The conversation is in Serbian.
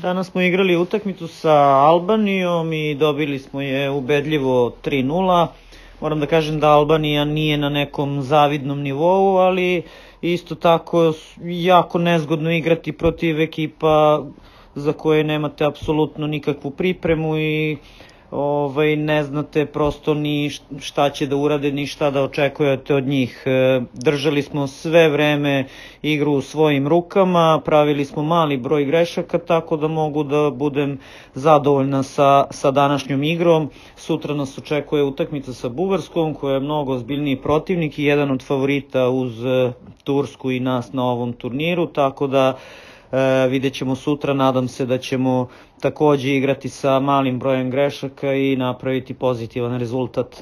Danas smo igrali utakmicu sa Albanijom i dobili smo je ubedljivo 3:0. Moram da kažem da Albanija nije na nekom zavidnom nivou, ali isto tako jako nezgodno igrati protiv ekipa za koje nemate apsolutno nikakvu pripremu i ne znate prosto ni šta će da urade, ni šta da očekujete od njih. Držali smo sve vreme igru u svojim rukama, pravili smo mali broj grešaka, tako da mogu da budem zadovoljna sa današnjom igrom. Sutra nas očekuje utakmica sa Bugarskom, koja je mnogo ozbiljniji protivnik i jedan od favorita uz Tursku i nas na ovom turniru, tako da vidjet ćemo sutra. Nadam se da ćemo takođe igrati sa malim brojem grešaka i napraviti pozitivan rezultat.